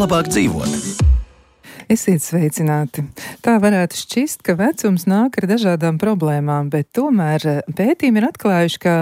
labāk dzīvot. Esiet sveicināti. Tā varētu šķist, ka vecums nāk ar dažādām problēmām, bet tomēr pētījumi ir atklājuši, ka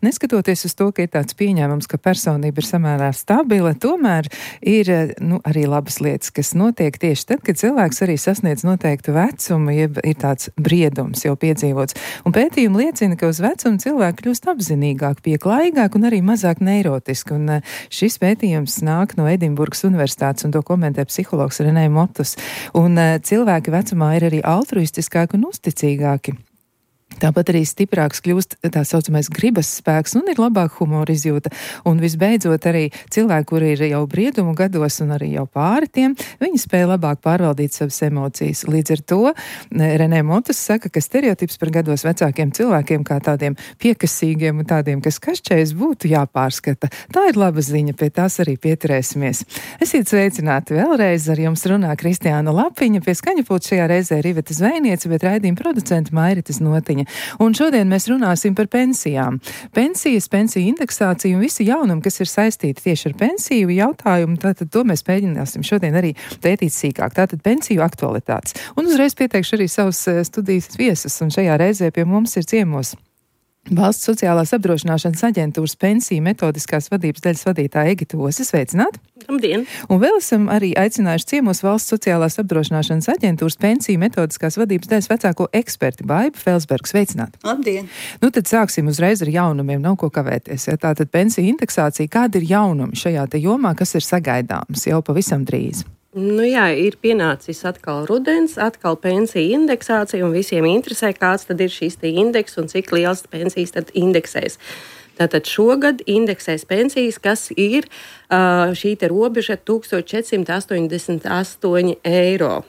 neskatoties uz to, ka ir tāds pieņēmums, ka personība ir samērā stabila, tomēr ir arī labas lietas, kas notiek tieši tad, kad cilvēks arī sasniedz noteiktu vecumu, jeb ir tāds briedums jau piedzīvots. Un pētījumi liecina, ka uz vecumu cilvēki kļūst apzinīgāk, pieklājīgāk un arī mazāk neirotiski. Un šis pētījums nāk no Edinburgas Universitātes un to komentē psihologs Renē Motus. Un cilvēki vecumā ir arī altruistiskāki un uzticīgāki. Tāpat arī stiprāks kļūst tā saucamais gribas spēks un ir labāka humora izjūta. Un visbeidzot arī cilvēki, kuri ir jau briedumu gados un arī jau pāri tiem, viņi spēja labāk pārvaldīt savas emocijas. Līdz ar to Renē Motus saka, ka stereotips par gados vecākiem cilvēkiem kā tādiem piekasīgiem un tādiem, kas kašķējas, būtu jāpārskata. Tā ir laba ziņa, pie tās arī pieturēsimies. Esiet sveicināti vēlreiz, ar jums runā Kristiāna Lapiņa, pie skaņapulta šajā reizē Riveta Zvejniece, bet raidījuma producenta Mairitas Notiņa. Un šodien mēs runāsim par pensijām. Pensijas, pensiju indeksāciju un visi jaunumi, kas ir saistīti tieši ar pensiju jautājumu, tātad to mēs mēģināsim šodien arī pētīt sīkāk. Tātad pensiju aktualitātes. Un uzreiz pieteikšu arī savus studijas viesus, un šajā reizē pie mums ir ciemos Valsts sociālās apdrošināšanas aģentūras pensiju metodiskās vadības daļas vadītāja Egita Ose. Sveicināti! Labdien! Un vēl esam arī aicinājuši ciemos Valsts sociālās apdrošināšanas aģentūras pensiju metodiskās vadības daļas vecāko eksperti Baibu Felsbergu. Sveicināti! Labdien! Tad sāksim uzreiz ar jaunumiem, nav ko kavēties. Ja? Tātad pensiju indeksācija, kāda ir jaunumi šajā te jomā, kas ir sagaidāms jau pavisam drīz? Jā, ir pienācis atkal rudens, atkal pensiju indeksācija, un visiem interesē, kāds tad ir šīs indeks un cik liels pensijas tad indeksēs. Tātad šogad indeksēs pensijas, kas ir šī te robeža 1488 eiro.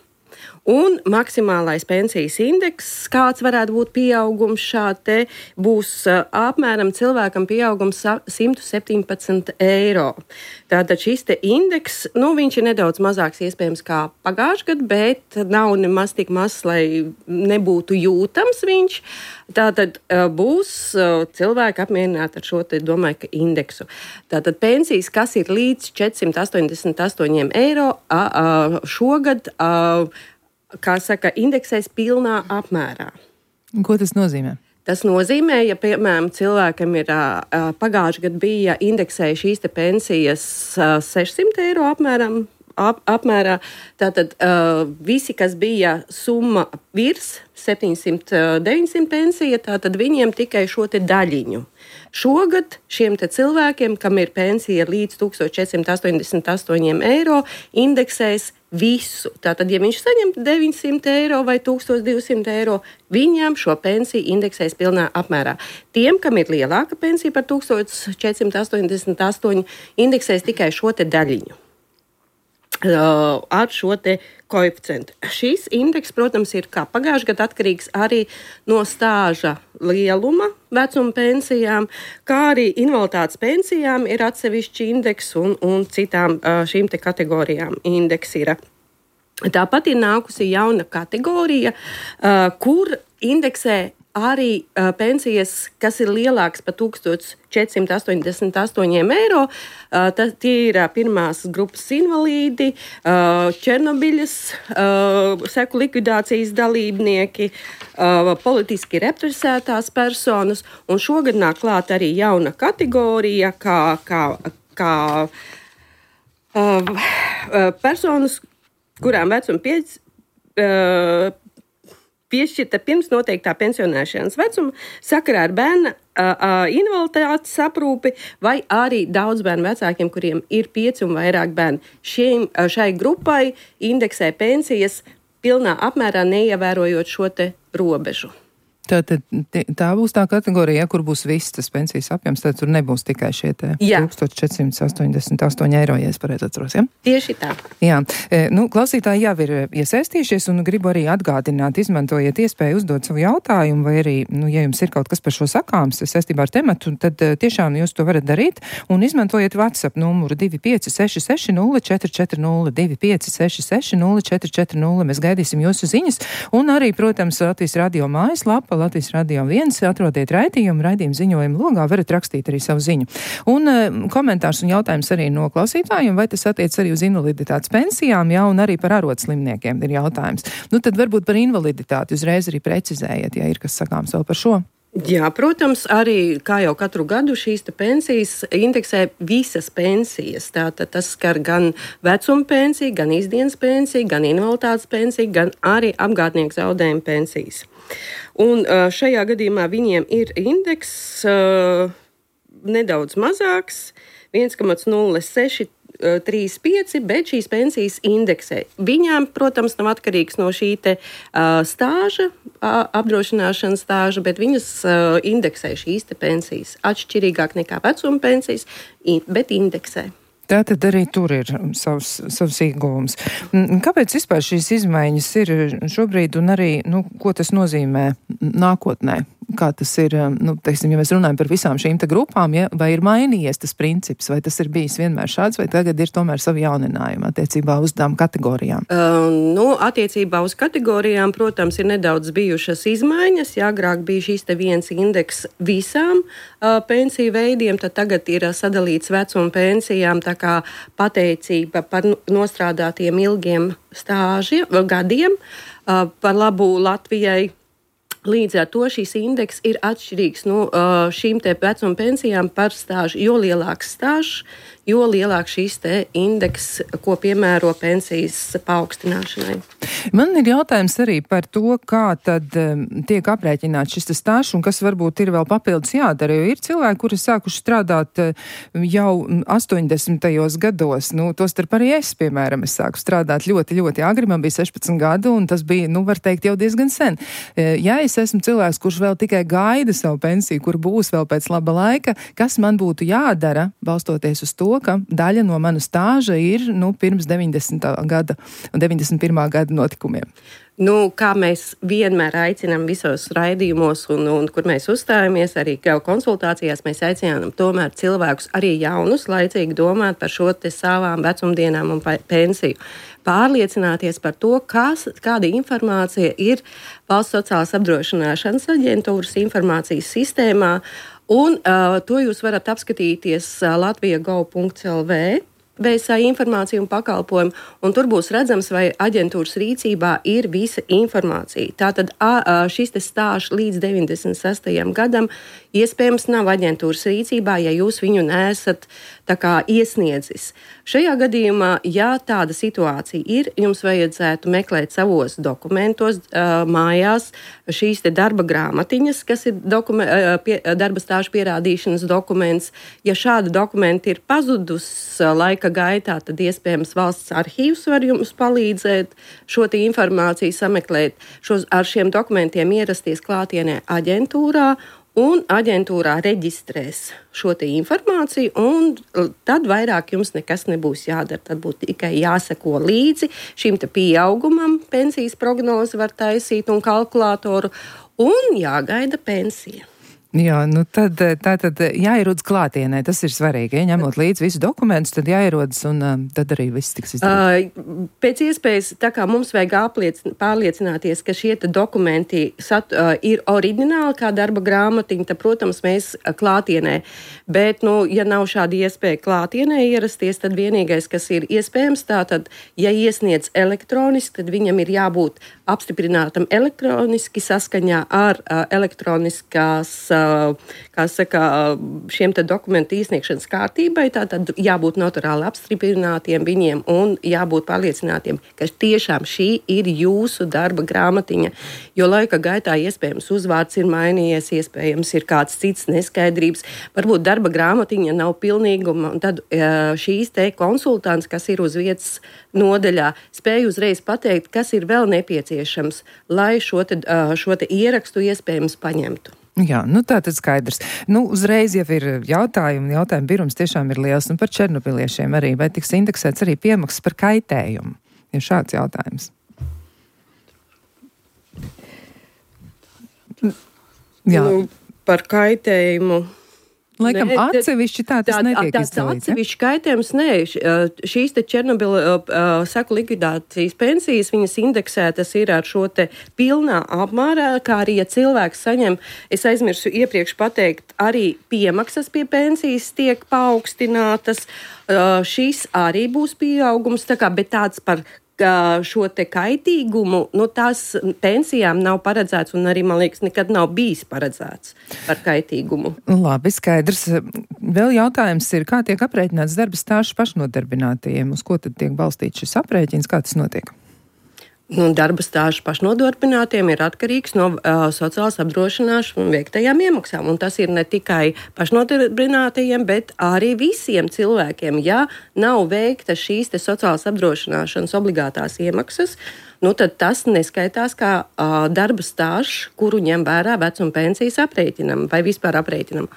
Un maksimālais pensijas indeks, kāds varētu būt pieaugums šādi, būs apmēram cilvēkam pieaugums 117 eiro. Tātad šis te indeks, viņš ir nedaudz mazāks iespējams kā pagājušajā gadā, bet nav nemaz tik mazs, lai nebūtu jūtams viņš. Tātad būs cilvēki apmierināti ar šo te, domāju, ka indeksu. Tātad pensijas, kas ir līdz 488 eiro, šogad kā saka, indeksēs pilnā apmērā. Ko tas nozīmē? Tas nozīmē, ja, piemēram, cilvēkam ir pagājušajā gadā bija indeksēja šīs te pensijas 600 eiro apmērā, tātad visi, kas bija summa virs 700-900 pensija, tātad viņiem tikai šo te daļiņu. Šogad šiem te cilvēkiem, kam ir pensija līdz 1488 eiro, indeksēs visu. Tātad, ja viņš saņem 900 eiro vai 1200 eiro, viņam šo pensiju indeksēs pilnā apmērā. Tiem, kam ir lielāka pensija par 1488, indeksēs tikai šo te daļiņu. Ar šo te koeficientu. Šis indeks, protams, ir kā pagājušajā gadā atkarīgs arī no stāža lieluma vecuma pensijām, kā arī invaliditātes pensijām ir atsevišķi indeks un citām šīm te kategorijām indeks ir. Tāpat ir nākusi jauna kategorija, kur indeksē arī pensijas, kas ir lielākas par 1488 eiro. Tie ir pirmās grupas invalīdi, Černobiļas seku likvidācijas dalībnieki, politiski represētās personas. Un šogad nāk klāt arī jauna kategorija, kā personas, kurām vecuma piešķirta pirms noteiktā pensionēšanas vecuma sakarā ar bērna invaliditātes aprūpi vai arī daudz bērnu vecākiem, kuriem ir 5 un vairāk bērni. Šai grupai indeksē pensijas pilnā apmērā, neievērojot šo te robežu. Tā būs tā kategorija, kur būs viss tas pensijas apjoms, tad tur nebūs tikai šie 1488 eiro, ja es pareizi atceros, ja? Tieši tā. Jā, klausītāji jau ir iesaistījušies un gribu arī atgādināt, izmantojiet iespēju uzdot savu jautājumu, vai arī, ja jums ir kaut kas par šo sakāms, saistībā ar tematu, tad tiešām jūs to varat darīt un izmantojiet WhatsApp numuru 2566 0440 2566 0440. Mēs gaidīsim jūsu ziņas un arī, protams, Latvijas radio mājaslapa info Latvijas Radio 1, atrodiet raidījumu ziņojumu logā, varat rakstīt arī savu ziņu. Un komentārs un jautājums arī no klausītājiem, vai tas attiec arī uz invaliditātes pensijām, jā, un arī par arodslimniekiem ir jautājums. Nu, tad varbūt par invaliditāti uzreiz arī precizējiet, ja ir kas sakāms vēl par šo. Jā, protams, arī kā jau katru gadu šīs pensijas indeksē visas pensijas. Tātad tas skar gan vecuma pensiju, gan izdienas pensiju, gan invaliditātes pensiju, gan arī apgādnieku zaudējumu pensijas. Un šajā gadījumā viņiem ir indeks nedaudz mazāks, 1,0635, bet šīs pensijas indeksē. Viņām, protams, nav atkarīgs no šī stāža, apdrošināšanas stāža, bet viņas indeksē šīs pensijas atšķirīgāk nekā vecuma pensijas, bet indeksē. Tātad arī tur ir savs ieguvums. Kāpēc vispār šīs izmaiņas ir šobrīd un arī, ko tas nozīmē nākotnē? Kā tas ir, teiksim, ja mēs runājam par visām šīm grupām, ja, vai ir mainījies tas princips, vai tas ir bijis vienmēr šāds, vai tagad ir tomēr savi jauninājumi attiecībā uz tām kategorijām? Attiecībā uz kategorijām, protams, ir nedaudz bijušas izmaiņas. Ja agrāk bija šīs viens indeks visām pensiju veidiem, tad tagad ir sadalīts vecuma pensijām, tā kā pateicība par nostrādātiem ilgiem gadiem par labu Latvijai. Līdz ar to šīs indeks ir atšķirīgs no šīm vecuma pensijām par stāžu. Jo lielāks stāžs, jo lielāks šīs indeks, ko piemēro pensijas paaugstināšanai. Man ir jautājums arī par to, kā tad tiek aprēķināts šis stāžs un kas varbūt ir vēl papildus jādara. Jo ir cilvēki, kuri sākuši strādāt jau 80. gados. Tostarp arī es, piemēram, sāku strādāt ļoti, ļoti agri. Man bija 16 gadu un tas bija, var teikt, jau diezgan sen. Ja es esmu cilvēks, kurš vēl tikai gaida savu pensiju, kur būs vēl pēc laba laika, kas man būtu jādara, balstoties uz to, ka daļa no mana stāža ir pirms 90. gada un 91. gada notikumiem. Kā mēs vienmēr aicinām visos raidījumos un kur mēs uzstājamies, arī konsultācijās mēs aicinām tomēr cilvēkus arī jaunus laicīgi domāt par šo savām vecumdienām un pensiju. Pārliecināties par to, kāda informācija ir Valsts sociālās apdrošināšanas aģentūras informācijas sistēmā, un to jūs varat apskatīties latvija.gov.lv. VSA informāciju un pakalpojumu, un tur būs redzams, vai aģentūras rīcībā ir visa informācija. Tātad šis stāžs līdz 96. gadam iespējams nav aģentūras rīcībā, ja jūs viņu neesat iesniedzis. Šajā gadījumā, ja tāda situācija ir, jums vajadzētu meklēt savos dokumentos mājās šīs darba grāmatiņas, kas ir darba stāžu pierādīšanas dokuments. Ja šāda dokumenta ir pazudus laika gaitā, tad iespējams valsts arhīvs var jums palīdzēt šo informāciju sameklēt, ar šiem dokumentiem ierasties klātienē aģentūrā, un aģentūrā reģistrēs šo informāciju, un tad vairāk jums nekas nebūs jādara. Tad būtu tikai jāseko līdzi šim pieaugumam, pensijas prognozi var taisīt un kalkulātoru, un jāgaida pensija. Jā, tātad jāierodas klātienē, tas ir svarīgi. Ja ņemot līdzi visu dokumentus, tad jāierodas un tad arī viss tiks izdarīts. Pēc iespējas, tā kā mums vajag pārliecināties, ka šie dokumenti ir oriģināli kā darba grāmatiņa, tad, protams, mēs klātienē. Bet, ja nav šāda iespēja klātienē ierasties, tad vienīgais, kas ir iespējams, tātad, ja iesniedz elektroniski, tad viņam ir jābūt apstiprinātam elektroniski saskaņā ar elektroniskās šiem dokumentu iesniegšanas kārtībai, tātad jābūt notariāli apstiprinātiem viņiem un jābūt pārliecinātiem, ka tiešām šī ir jūsu darba grāmatiņa, jo laika gaitā iespējams uzvārds ir mainījies, iespējams ir kāds cits neskaidrības, varbūt darba grāmatiņa nav pilnīguma, un tad šīs konsultants, kas ir uz vietas nodaļā, spēj uzreiz pateikt, kas ir vēl nepieciešams, lai šo ierakstu iespējams paņemtu. Jā, tā tad skaidrs. Uzreiz jau ir jautājumi birums tiešām ir liels, un par černobiliešiem arī, vai tiks indeksēts arī piemaksas par kaitējumu? Ir šāds jautājums. Jā. Par kaitējumu. Laikam atsevišķi tas netiek izdalīts. Atsevišķi kaitējums, nē. Šīs te Černobila seku likvidācijas pensijas, viņas indeksētas ir ar šo te pilnā apmērā, kā arī, ja cilvēks saņem, es aizmirsu iepriekš pateikt, arī piemaksas pie pensijas tiek paaugstinātas. Šis arī būs pieaugums, bet tāds par šo te kaitīgumu, tās pensijām nav paredzēts un arī, man liekas, nekad nav bijis paredzēts par kaitīgumu. Labi, skaidrs. Vēl jautājums ir, kā tiek aprēķināts darba stāžs pašnodarbinātajiem? Uz ko tad tiek balstīts šis aprēķins? Kā tas notiek? Darba stāžs pašnodarbinātiem ir atkarīgs no sociālās apdrošināšanas veiktajām iemaksām. Un tas ir ne tikai pašnodarbinātajiem, bet arī visiem cilvēkiem. Ja nav veikta šīs te sociālās apdrošināšanas obligātās iemaksas, tad tas neskaitās kā darba stāžs, kuru ņem vērā vecuma pensijas aprēķinam vai vispār aprēķinam.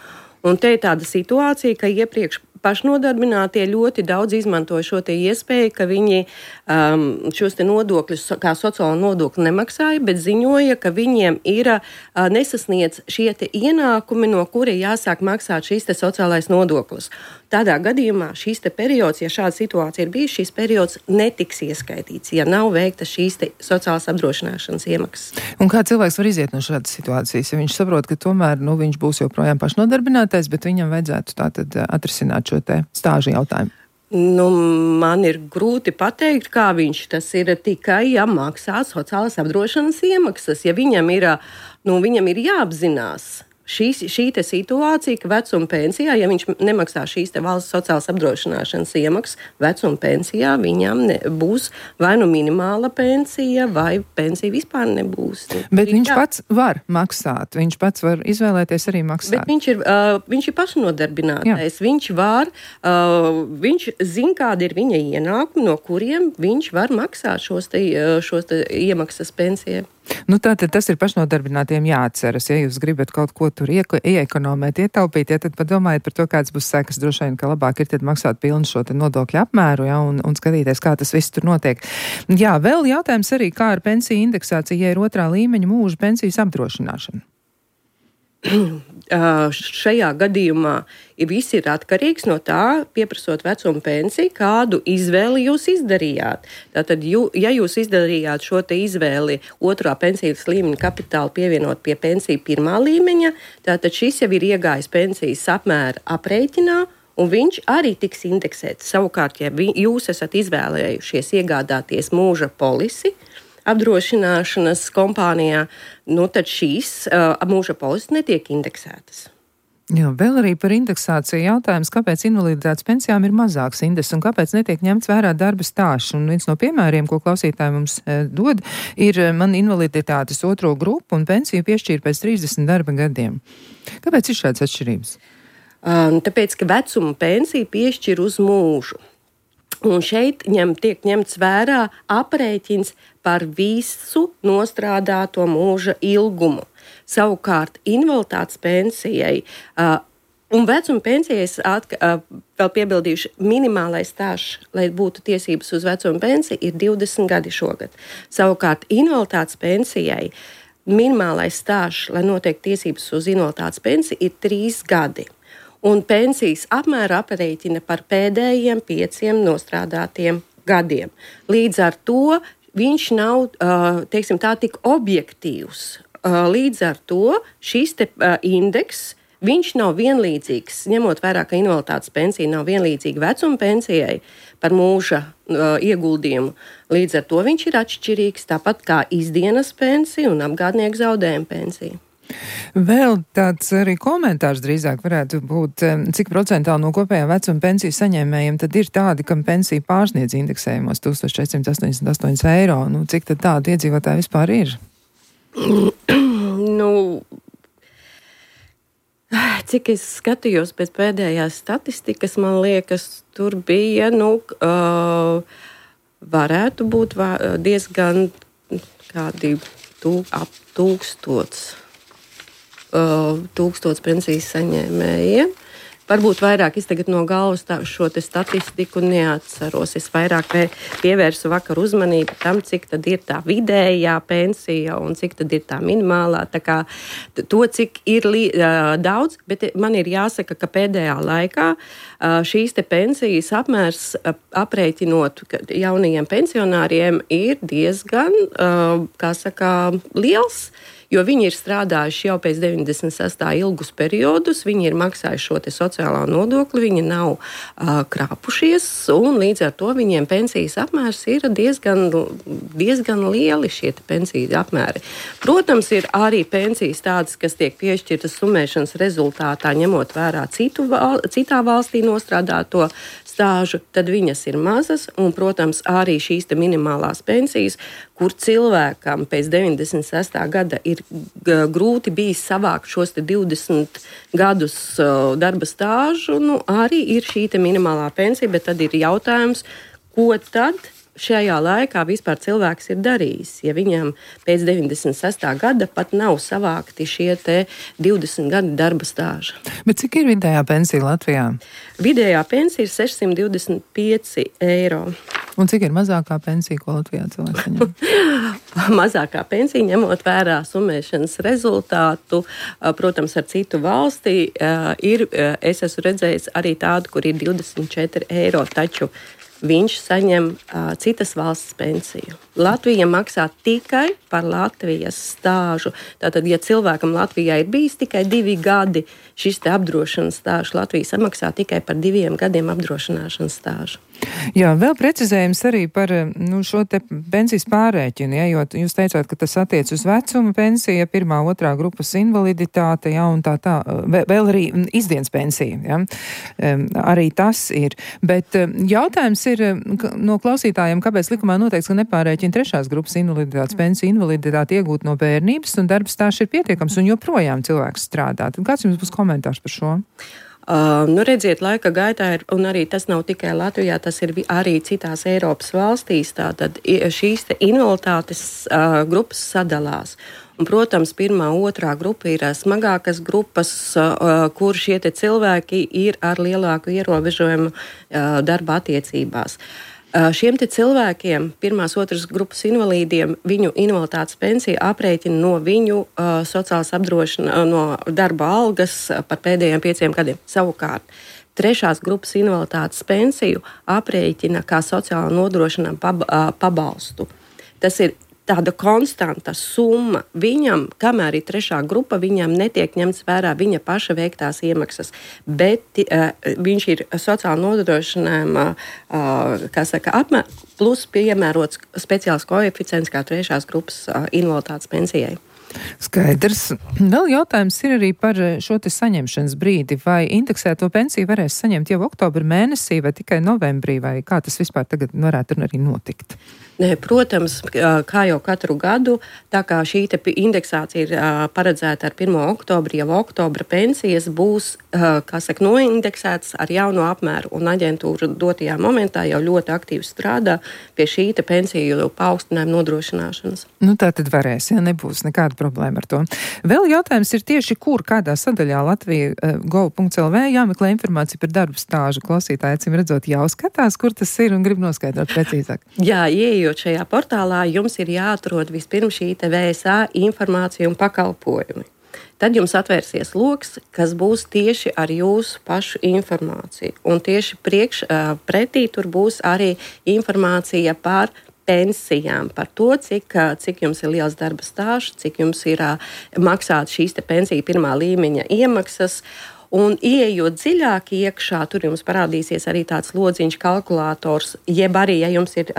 Un te ir tāda situācija, ka iepriekš pašnodarbinātie ļoti daudz izmantoja šo te iespēju, ka viņi šos te nodokļus, kā sociālo nodokli nemaksāja, bet ziņoja, ka viņiem ir nesasniedz šie te ienākumi, no kura jāsāk maksāt šīs te sociālais nodoklis. Tādā gadījumā šīs te periods, ja šāda situācija ir bijusi, šīs periods netiks ieskaitīts, ja nav veikta šīs te sociālās apdrošināšanas iemaksas. Un kā cilvēks var iziet no šādas situācijas, ja viņš saprot, ka tomēr viņš būs joprojām pašnodarbinātais, bet viņam vajadzētu tātad atrisināt šo te stāžu jautājumu? Man ir grūti pateikt, kā viņš tas ir tikai, ja maksā sociālās apdrošināšanas iemaksas. Ja viņam ir jāapzinās šī te situācija, ka vecuma pensijā, ja viņš nemaksā šīs te valsts sociālās apdrošināšanas iemaksas, vecuma pensijā viņam būs vai minimāla pensija, vai pensija vispār nebūs. Bet viņš pats var maksāt, viņš pats var izvēlēties arī maksāt. Bet viņš ir pašnodarbinātais, viņš zina, kāda ir viņa ienākumi, no kuriem viņš var maksāt šos te iemaksas pensijai. Tātad tas ir pašnodarbinātiem jāatceras. Ja jūs gribat kaut ko tur ieekonomēt, ietaupīt, tad padomājiet par to, kāds būs sekas. Droši vien, ka labāk ir tad maksāt pilnu šo te nodokļu apmēru, un skatīties, kā tas viss tur notiek. Jā, vēl jautājums arī, kā ar pensiju indeksāciju, ja ir otrā līmeņa mūža pensijas apdrošināšana? Šajā gadījumā viss ir atkarīgs no tā, pieprasot vecuma pensiju, kādu izvēli jūs izdarījāt. Tātad, ja jūs izdarījāt šo te izvēli otrā pensijas līmeņa kapitālu pievienot pie pensiju pirmā līmeņa, tātad šis jau ir iegājis pensijas apmēra aprēķinā, un viņš arī tiks indeksēts. Savukārt, ja jūs esat izvēlējušies iegādāties mūža polisi apdrošināšanas kompānijā, tad šīs mūža polises netiek indeksētas. Jā, vēl arī par indeksāciju jautājums, kāpēc invaliditātes pensijām ir mazāks indeks un kāpēc netiek ņemts vērā darba stāsts. Un viens no piemēriem, ko klausītāji mums dod, ir man invaliditātes otro grupu un pensiju piešķīra pēc 30 darba gadiem. Kāpēc ir šādas atšķirības? Tāpēc, ka vecuma pensiju piešķir uz mūžu. Un šeit tiek ņemts vērā aprēķins par visu nostrādāto mūža ilgumu. Savukārt invaliditātes pensijai un vecuma pensijai vēl piebildījuši minimālais stāžs, lai būtu tiesības uz vecuma pensiju, ir 20 gadi šogad. Savukārt invaliditātes pensijai minimālais stāžs, lai notiek tiesības uz invaliditātes pensiju, ir 3 gadi. Un pensijas apmēra aprēķina par pēdējiem 5 nostrādātiem gadiem. Līdz ar to viņš nav, tik objektīvs. Līdz ar to šis indeks, viņš nav vienlīdzīgs, ņemot vērā, ka invaliditātes pensija nav vienlīdzīga vecuma pensijai par mūža ieguldījumu. Līdz ar to viņš ir atšķirīgs, tāpat kā izdienas pensija un apgādnieku zaudējuma pensija. Vēl tāds arī komentārs drīzāk varētu būt, cik procentāli no kopējā vecuma pensiju saņēmējiem tad ir tādi, kam pensija pārsniedz indeksējumos 1488 eiro. Cik tad tādu iedzīvotāju vispār ir? Cik es skatījos pēc pēdējās statistikas, man liekas, tur bija, varētu būt diezgan kādi ap 1000 pensijas saņēmējiem, Varbūt vairāk es tagad no galvas šo te statistiku neatceros. Es vairāk pievērsu vakar uzmanību tam, cik tad ir tā vidējā pensija un cik tad ir tā minimālā. Tā kā to, cik ir daudz, bet man ir jāsaka, ka pēdējā laikā šīs te pensijas apmērs aprēķinot jaunajiem pensionāriem ir diezgan, liels. Jo viņi ir strādājuši jau pēc 96. ilgus periodus, viņi ir maksājuši šo te sociālā nodokli, viņi nav krāpušies, un līdz ar to viņiem pensijas apmērs ir diezgan lieli šie pensijas apmēri. Protams, ir arī pensijas tādas, kas tiek piešķirtas summēšanas rezultātā, ņemot vērā citā valstī nostrādāto stāžu, tad viņas ir mazas, un, protams, arī šīs te minimālās pensijas, kur cilvēkam pēc 96. gada ir grūti bijis savākt šos te 20 gadus darba stāžu, arī ir šī te minimālā pensija, bet tad ir jautājums, ko tad šajā laikā vispār cilvēks ir darījis, ja viņam pēc 96. gada pat nav savākti šie te 20 gadi darba stāža. Bet cik ir vidējā pensija Latvijā? Vidējā pensija ir 625 eiro. Un cik ir mazākā pensija, ko Latvijā cilvēks saņem? Mazākā pensija, ņemot vērā summēšanas rezultātu, protams, ar citu valstī, es esmu redzējis arī tādu, kur ir 24 eiro, taču viņš saņem citas valsts pensiju. Latvija maksā tikai par Latvijas stāžu. Tātad, ja cilvēkam Latvijā ir bijis tikai 2 gadi šis te apdrošināšanas stāžs, Latvija samaksā tikai par 2 gadiem apdrošināšanas stāžu. Jā, vēl precizējums arī par šo te pensijas pārrēķinu, ja, jo jūs teicāt, ka tas attiec uz vecuma pensija, 1., 2. grupas invaliditāte, ja, un tā, vēl arī izdienas pensija, ja, arī tas ir. Bet jautājums ir no klausītājiem, kāpēc likumā noteikts, ka nepārrēķina 3. grupas invaliditātes pensiju, invaliditāti iegūt no bērnības, un darba stāsts ir pietiekams, un joprojām cilvēks strādā. Tad kāds jums būs komentārs par šo? Redziet, laika gaitā ir, un arī tas nav tikai Latvijā, tas ir arī citās Eiropas valstīs, tātad šīs te invaliditātes grupas sadalās. Un, protams, 1., 2. grupa ir smagākas grupas, kur šie te cilvēki ir ar lielāku ierobežojumu darba attiecībās. Šiem te cilvēkiem, 1., 2. grupas invalīdiem, viņu invaliditātes pensija aprēķina no viņu sociālās apdrošināšanas, no darba algas par pēdējiem 5 gadiem. Savukārt, 3. grupas invaliditātes pensiju aprēķina kā sociālā nodrošinājuma pabalstu. Tas ir tāda konstanta summa viņam, kamēr ir 3. grupa, viņam netiek ņemts vērā viņa paša veiktās iemaksas, bet viņš ir sociāli nodrošinājuma, plus piemērots speciāls koeficients kā 3. grupas invaliditātes pensijai. Skaidrs. Vēl jautājums ir arī par šo te saņemšanas brīdi. Vai indeksēto pensiju varēs saņemt jau oktobra mēnesī vai tikai novembrī, vai kā tas vispār tagad varētu arī notikt? Protams, kā jau katru gadu, tā kā šī indeksācija ir paredzēta ar 1. oktobri, jau oktobra pensijas būs, noindeksētas ar jauno apmēru, un aģentūra dotajā momentā jau ļoti aktīvi strādā pie šī pensiju paaugstinājuma nodrošināšanas. Tā tad varēs, ja nebūs nekāda problēma ar to. Vēl jautājums ir tieši, kādā sadaļā Latvija gov.lv jāmeklē informācija par darba stāžu. Klausītāji, acīm redzot, jau skatās, kur tas ir un grib noskaidrot precīzāk. Jā, ieejot šajā portālā, jums ir jāatrod vispirms šī VSA informācija un pakalpojumi. Tad jums atvērsies loks, kas būs tieši ar jūsu pašu informāciju. Un tieši pretī tur būs arī informācija par pensijām, par to, cik jums ir liels darba stāžs, cik jums ir maksāt šīs pensiju 1. līmeņa iemaksas. Un, ieejot dziļāk iekšā, tur jums parādīsies arī tāds lodziņš kalkulators, jeb arī, ja jums ir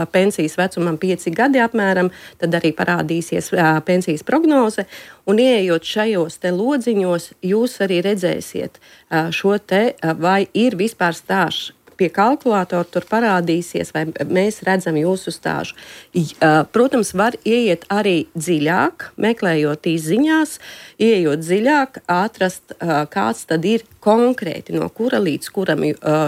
pensijas vecumam 5 gadi apmēram, tad arī parādīsies pensijas prognoze. Un, ieejot šajos te lodziņos, jūs arī redzēsiet šo te, vai ir vispār stāžs pie kalkulatora tur parādīsies, vai mēs redzam jūsu stāžu. Protams, var ieiet arī dziļāk, meklējot ziņās, ieejot dziļāk, atrast, kāds tad ir konkrēti, no kura līdz kuram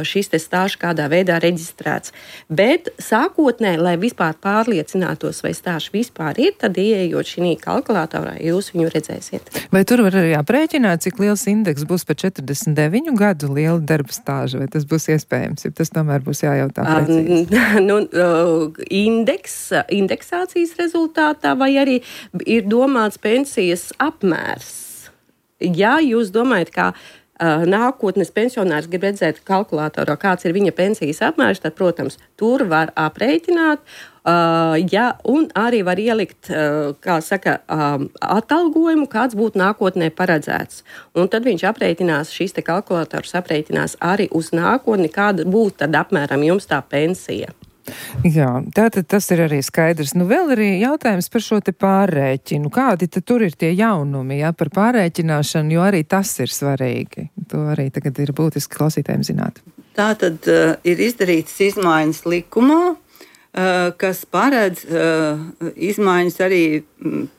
šis te stāžs kādā veidā reģistrēts. Bet sākotnēji, lai vispār pārliecinātos, vai stāžs vispār ir, tad ieejot šī kalkulatorā, jūs viņu redzēsiet. Vai tur var arī aprēķināt, cik liels indeks būs pēc 49 gadu liela darba stāža, vai tas būs iespējams, ja tas tomēr būs jājautā precīzi? Indeksācijas rezultātā, vai arī ir domāts pensijas apmērs? Ja jūs domājat, kā nākotnes pensionārs grib redzēt kalkulatorā, kāds ir viņa pensijas apmērs, tad, protams, tur var aprēķināt, un arī var ielikt, atalgojumu, kāds būtu nākotnē paredzēts. Un tad viņš aprēķinās, šis te kalkulators aprēķinās arī uz nākotni, kāda būtu tad apmēram jums tā pensija. Jā, tātad tas ir arī skaidrs. Vēl arī jautājums par šo te pārrēķinu. Kādi tad tur ir tie jaunumi, par pārrēķināšanu, jo arī tas ir svarīgi. To arī tagad ir būtiski klausītājiem zināt. Tātad ir izdarītas izmaiņas likumā, kas paredz izmaiņas arī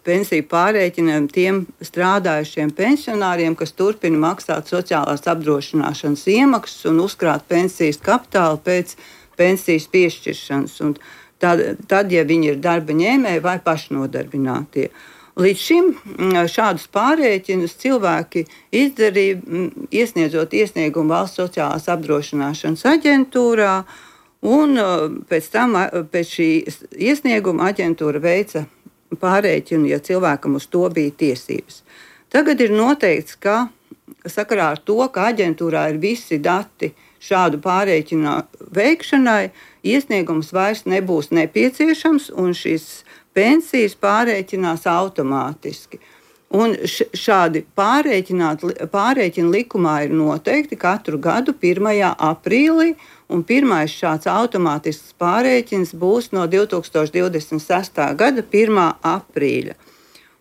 pensiju pārrēķinām tiem strādājušiem pensionāriem, kas turpina maksāt sociālās apdrošināšanas iemaksas un uzkrāt pensijas kapitālu pēc pensijas piešķiršanas, un tad, ja viņi ir darba ņēmēji vai pašnodarbinātie. Līdz šim šādus pārrēķinus cilvēki izdarīja, iesniedzot iesniegumu Valsts sociālās apdrošināšanas aģentūrā, un pēc šī iesnieguma aģentūra veica pārrēķinu, ja cilvēkam uz to bija tiesības. Tagad ir noteikts, ka sakarā ar to, ka aģentūrā ir visi dati šādu pārrēķinu veikšanai, iesniegums vairs nebūs nepieciešams, un šīs pensijas pārrēķinās automātiski. Un šādi pārrēķini likumā ir noteikti katru gadu 1. aprīlī, un pirmais šāds automātisks pārrēķins būs no 2026. gada 1. aprīļa.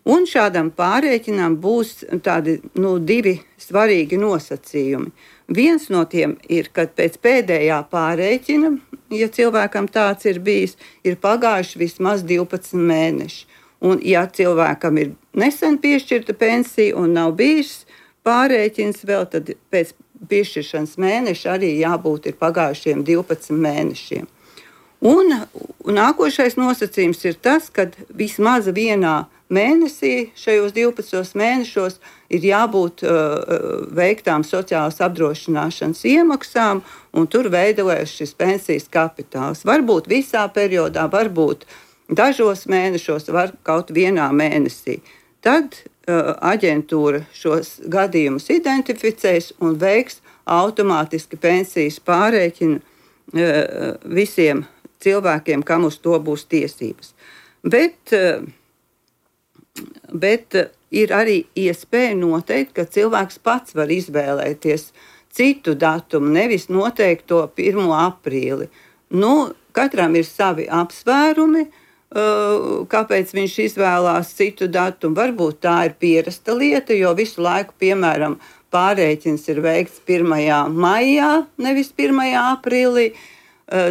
Un šādam pārrēķinam būs tādi divi svarīgi nosacījumi. Viens no tiem ir, kad pēc pēdējā pārrēķina, ja cilvēkam tāds ir bijis, ir pagājuši vismaz 12 mēneši. Un ja cilvēkam ir nesen piešķirta pensija un nav bijis pārrēķins vēl, tad pēc piešķiršanas mēneša arī jābūt ir pagājušiem 12 mēnešiem. Un nākošais nosacījums ir tas, ka vismaz vienā mēnesī, šajos 12 mēnešos, ir jābūt veiktām sociālās apdrošināšanas iemaksām, un tur veidojas šis pensijas kapitāls. Varbūt visā periodā, varbūt dažos mēnešos, var kaut vienā mēnesī. Tad aģentūra šos gadījumus identificēs un veiks automātiski pensijas pārrēķinu visiem cilvēkiem, kam uz to būs tiesības. Bet ir arī iespēja noteikt, ka cilvēks pats var izvēlēties citu datumu, nevis noteikt to 1. aprīli. Katram ir savi apsvērumi, kāpēc viņš izvēlās citu datumu. Varbūt tā ir pierasta lieta, jo visu laiku, piemēram, pārrēķins ir veikts 1. maijā, nevis 1. aprīlī.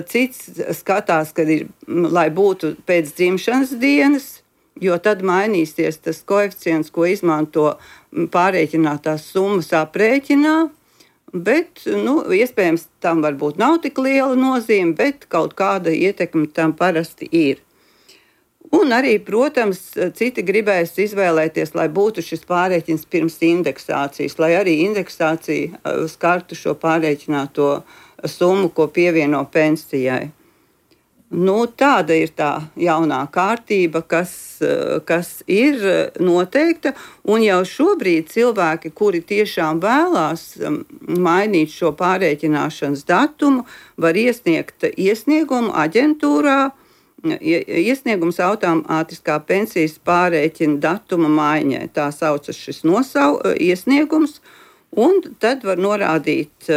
Cits skatās, kad ir, lai būtu pēc dzimšanas dienas, jo tad mainīsies tas koeficients, ko izmanto pārrēķinātās summas aprēķinā. Bet, iespējams, tam varbūt nav tik liela nozīme, bet kaut kāda ietekme tam parasti ir. Un arī, protams, citi gribēs izvēlēties, lai būtu šis pārrēķins pirms indeksācijas, lai arī indeksācija skartu šo pārrēķināto summu, ko pievieno pensijai. Tāda ir tā jaunā kārtība, kas ir noteikta, un jau šobrīd cilvēki, kuri tiešām vēlās mainīt šo pārrēķināšanas datumu, var iesniegt iesniegumu aģentūrā, iesniegums automātiskā pensijas pārrēķina datuma maiņai. Tā saucas šis iesniegums, un tad var norādīt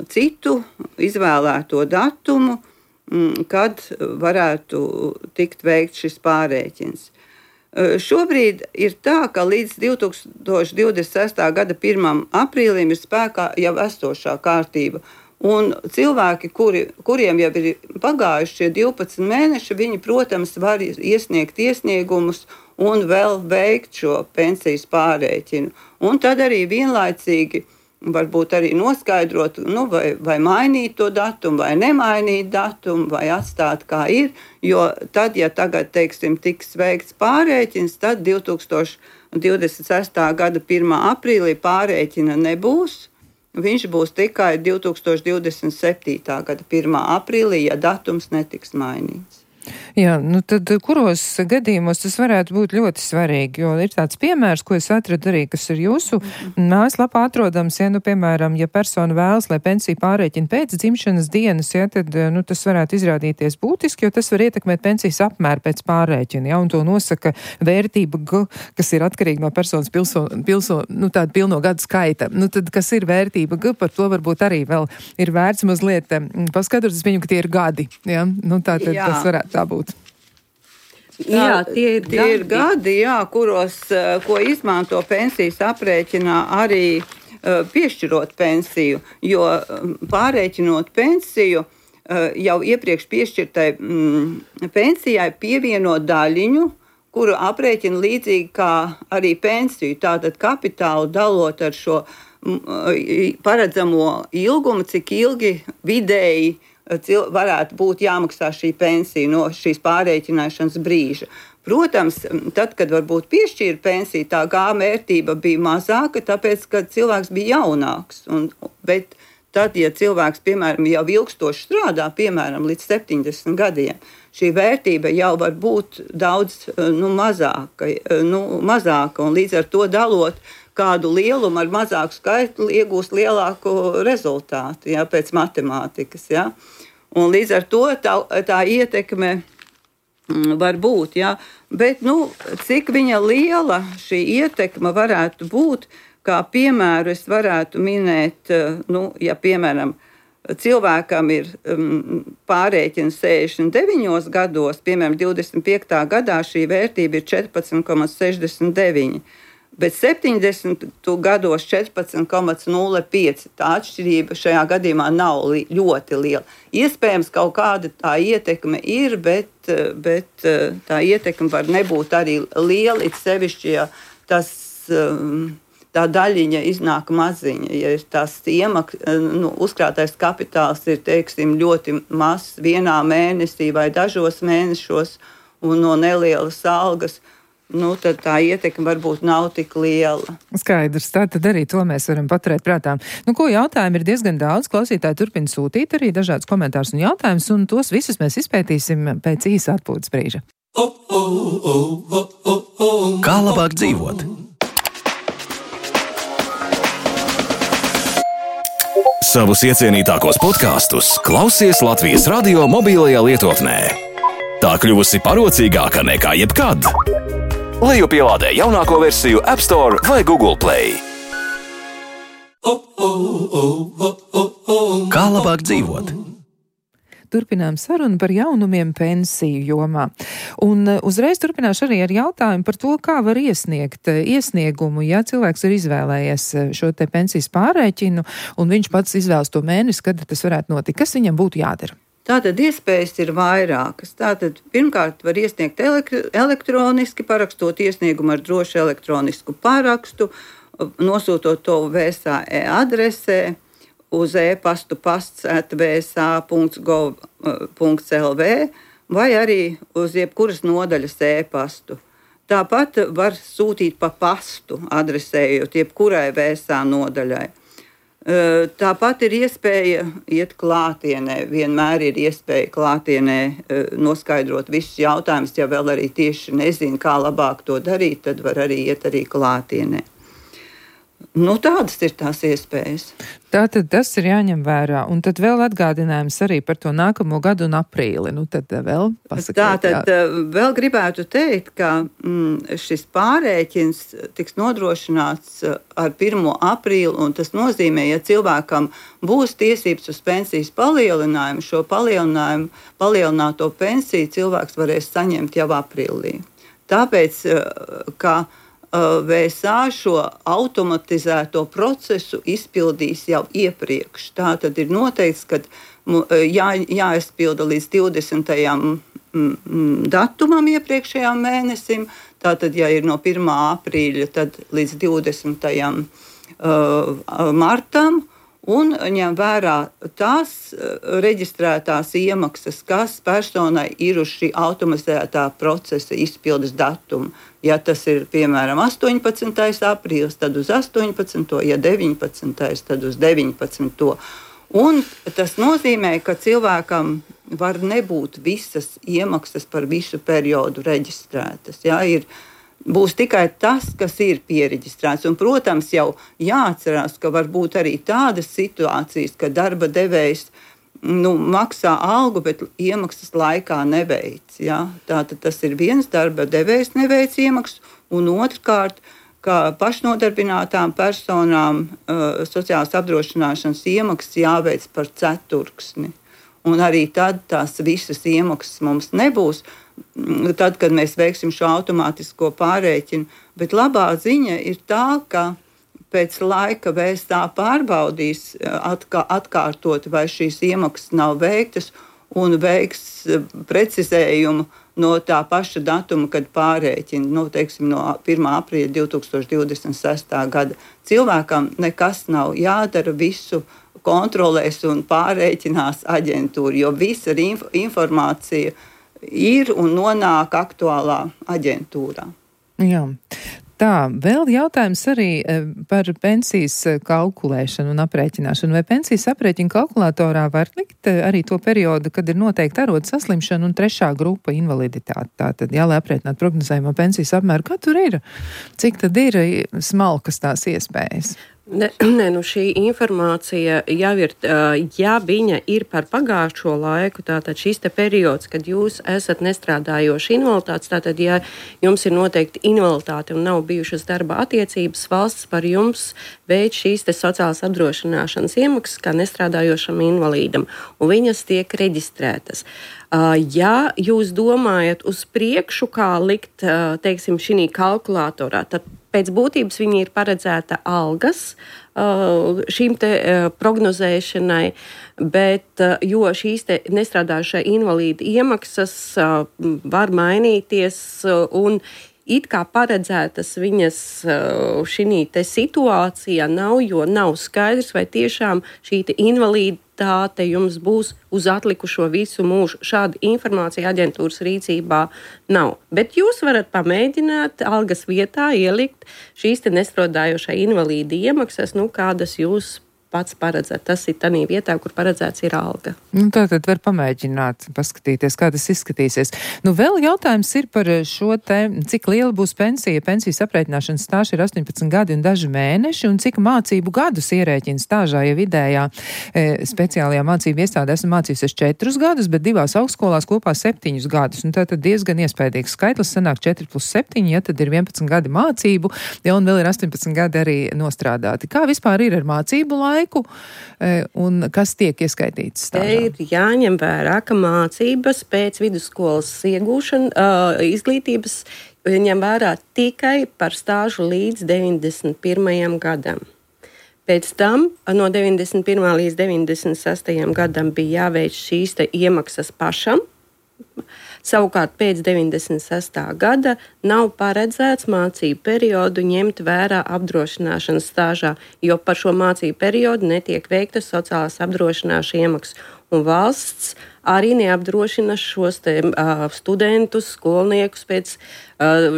citu izvēlēto datumu, kad varētu tikt veikt šis pārrēķins. Šobrīd ir tā, ka līdz 2026. gada 1. aprīlim ir spēkā jau esošā kārtība, Un cilvēki, kuriem jau ir pagājuši šie 12 mēneši, viņi, protams, var iesniegt iesniegumus un vēl veikt šo pensijas pārrēķinu. Un tad arī vienlaicīgi varbūt arī noskaidrot, vai mainīt to datumu, vai nemainīt datumu, vai atstāt kā ir. Jo tad, ja tagad, teiksim, tiks veikts pārrēķins, tad 2026. gada 1. aprīlī pārrēķina nebūs. Viņš būs tikai 2027. gada 1. aprīlī, ja datums netiks mainīts. Jā, tad kuros gadījumos tas varētu būt ļoti svarīgi, jo ir tāds piemērs, ko es atradu arī, kas ir jūsu mājaslapā atrodams, piemēram, ja persona vēlas, lai pensiju pārrēķina pēc dzimšanas dienas, tad tas varētu izrādīties būtiski, jo tas var ietekmēt pensijas apmēru pēc pārrēķina, un to nosaka vērtība G, kas ir atkarīga no personas tāda pilno gadu skaita. Tad, kas ir vērtība G, par to varbūt arī vēl ir vērts mazliet paskatot, es viņu, ka tie ir gadi, ja? Tātad tas varētu tā būt. Jā, tie ir gadi, ko izmanto pensijas aprēķinā arī piešķirot pensiju, jo pārrēķinot pensiju jau iepriekš piešķirtai pensijai pievieno daļiņu, kuru aprēķina līdzīgi kā arī pensiju, tātad kapitālu dalot ar šo paredzamo ilgumu, cik ilgi vidēji varētu būt jāmaksā šī pensija no šīs pārrēķināšanas brīža. Protams, tad, kad varbūt piešķīra pensiju, tā vērtība bija mazāka, tāpēc, ka cilvēks bija jaunāks. Bet tad, ja cilvēks, piemēram, jau ilgstoši strādā, piemēram, līdz 70 gadiem, šī vērtība jau var būt daudz mazāka, un līdz ar to dalot kādu lielumu ar mazāku skaitu iegūst lielāku rezultātu, pēc matemātikas. Un līdz ar to tā ietekme var būt. Bet cik viņa liela šī ietekme varētu būt, kā piemēru es varētu minēt, ja piemēram cilvēkam ir pārrēķins 69 gados, piemēram 25. gadā šī vērtība ir 14,69. Bet 70 gados 14,05. Tā atšķirība šajā gadījumā nav ļoti liela. Iespējams, kaut kāda tā ietekme ir, bet tā ietekme var nebūt arī liela, it sevišķi, ja tā daļiņa iznāk maziņa. Ja tās uzkrātais kapitāls ir, teiksim, ļoti mazs vienā mēnesī vai dažos mēnešos un no nelielas algas, tad tā ietekme varbūt nav tik liela. Skaidrs, tātad arī to mēs varam paturēt prātā. Jautājumu ir diezgan daudz, klausītāji turpina sūtīt arī dažādus komentārus un jautājumus, un tos visus mēs izpētīsim pēc īsa atpūtas brīža. Kā labāk dzīvot? Savus iecienītākos podkastus klausies Latvijas radio mobilajā lietotnē. Tā kļuvusi parocīgāka nekā jebkad. Lejupielādē jaunāko versiju App Store vai Google Play. Kā labāk dzīvot? Turpinām sarunu par jaunumiem pensiju jomā. Un uzreiz turpināšu arī ar jautājumu par to, kā var iesniegt iesniegumu, ja cilvēks ir izvēlējies šo te pensijas pārrēķinu, un viņš pats izvēlas to mēnesi, kad tas varētu notikt. Kas viņam būtu jādara? Tātad iespējas ir vairākas. Tātad pirmkārt var iesniegt elektroniski, parakstot iesniegumu ar drošu elektronisku parakstu, nosūtot to VSA adresē, uz e-pastu pasts@vsa.gov.lv vai arī uz jebkuras nodaļas e-pastu. Tāpat var sūtīt pa pastu, adresējot jebkurai VSA nodaļai. Tāpat ir iespēja iet klātienē. Vienmēr ir iespēja klātienē noskaidrot visus jautājumus. Ja vēl arī tieši nezinu, kā labāk to darīt, tad var arī iet arī klātienē. Tādas ir tās iespējas. Tātad tas ir jāņem vērā. Un tad vēl atgādinājums arī par to nākamo gadu un aprīli. Tad vēl pasakiet. Tātad vēl gribētu teikt, ka šis pārrēķins tiks nodrošināts ar 1. aprīli, un tas nozīmē, ja cilvēkam būs tiesības uz pensijas palielinājumu, šo palielināto pensiju cilvēks varēs saņemt jau aprīlī. Tāpēc, ka VSA šo automatizēto procesu izpildīs jau iepriekš. Tā tad ir noteikts, ka jāizpilda līdz 20. datumam iepriekšējām mēnesim. Tātad, ja ir no 1. aprīļa, tad līdz 20. martam. Un ņem vērā tās reģistrētās iemaksas, kas personai ir uz šī automatizētā procesa izpildes datuma. Ja tas ir, piemēram, 18. aprīlis, tad uz 18. Ja 19. tad uz 19. Un tas nozīmē, ka cilvēkam var nebūt visas iemaksas par visu periodu reģistrētas. Ja, būs tikai tas, kas ir piereģistrēts. Un, protams, jau jāatcerās, ka var būt arī tādas situācijas, ka darba devējs maksā algu, bet iemaksas laikā neveic. Ja? Tātad tas ir viens, darba devējs neveic iemaksas, un otrkārt, ka pašnodarbinātām personām sociālās apdrošināšanas iemaksas jāveic par ceturksni. Un arī tad tās visas iemaksas mums nebūs, tad, kad mēs veiksim šo automātisko pārreikinu. Bet labā ziņa ir tā, ka pēc laika VSA pārbaudīs atkārtot, vai šīs iemaksas nav veiktas, un veiks precizējumu no tā paša datuma, kad pārreikina, teiksim, no 1. aprīļa 2026. gada. Cilvēkam nekas nav jādara, visu kontrolēs un pārreikinās aģentūra, jo visa informācija ir un nonāk aktuālā aģentūrā. Jā. Tā, vēl jautājums arī par pensijas kalkulēšanu un aprēķināšanu. Vai pensijas aprēķina kalkulatorā var likt arī to periodu, kad ir noteikti arodu saslimšana un 3. grupa invaliditāte? Tātad, lai aprēķinātu prognozējumu pensijas apmēru, kā tur ir? Cik tad ir smalkas tās iespējas? Šī informācija jau ir, ja viņa ir par pagājušo laiku, tātad šis te periods, kad jūs esat nestrādājoši invaliditātes, tātad, ja jums ir noteikti invaliditāte un nav bijušas darba attiecības, valsts par jums veic šīs te sociālās apdrošināšanas iemaksas kā nestrādājošam invalīdam, un viņas tiek reģistrētas. Ja jūs domājat uz priekšu, kā likt, teiksim, šī kalkulatorā, tad pēc būtības viņi ir paredzēta algas šīm te prognozēšanai, bet jo šīs te nestrādājušā invalīda iemaksas var mainīties un it kā paredzētas viņas šī te situācijā nav, jo nav skaidrs, vai tiešām šī te invaliditāte jums būs uz atlikušo visu mūžu. Šāda informācija aģentūras rīcībā nav. Bet jūs varat pamēģināt algas vietā ielikt šīs te nestrādājošā invalīda iemaksas, kādas jūs pats paredzēt. Tas ir tādā vietā, kur paredzēts ir alga. Tātad var pamēģināt, paskatīties, kā tas izskatīsies. Vēl jautājums ir par šo te, cik liela būs pensija. Pensijas aprēķināšanas stāža ir 18 gadi un daži mēneši, un cik mācību gadus ierēķina stāžā, ja vidējā speciālajā mācību iestādē esmu mācījusies 4 gadus, bet 2 augstskolās kopā 7 gadus. Un tātad diezgan iespējīgs skaitlis, sanāk 4 plus 7, ja tad ir 11 gadi mācību, ja un vēl ir 18 gadi arī nostrādāti. Kā vispār ir ar mācību laiku? Un kas tiek ieskaitīts stāžā? Te ir jāņem vērā, ka mācības pēc vidusskolas izglītības ņem vērā tikai par stāžu līdz 91. gadam. Pēc tam no 91. līdz 96. gadam bija jāveic šīs te iemaksas pašam. Savukārt pēc 96. gada nav paredzēts mācību periodu ņemt vērā apdrošināšanas stāžā, jo par šo mācību periodu netiek veiktas sociālās apdrošināšanas iemaksas. Un valsts arī neapdrošina šos studentus, skolniekus pēc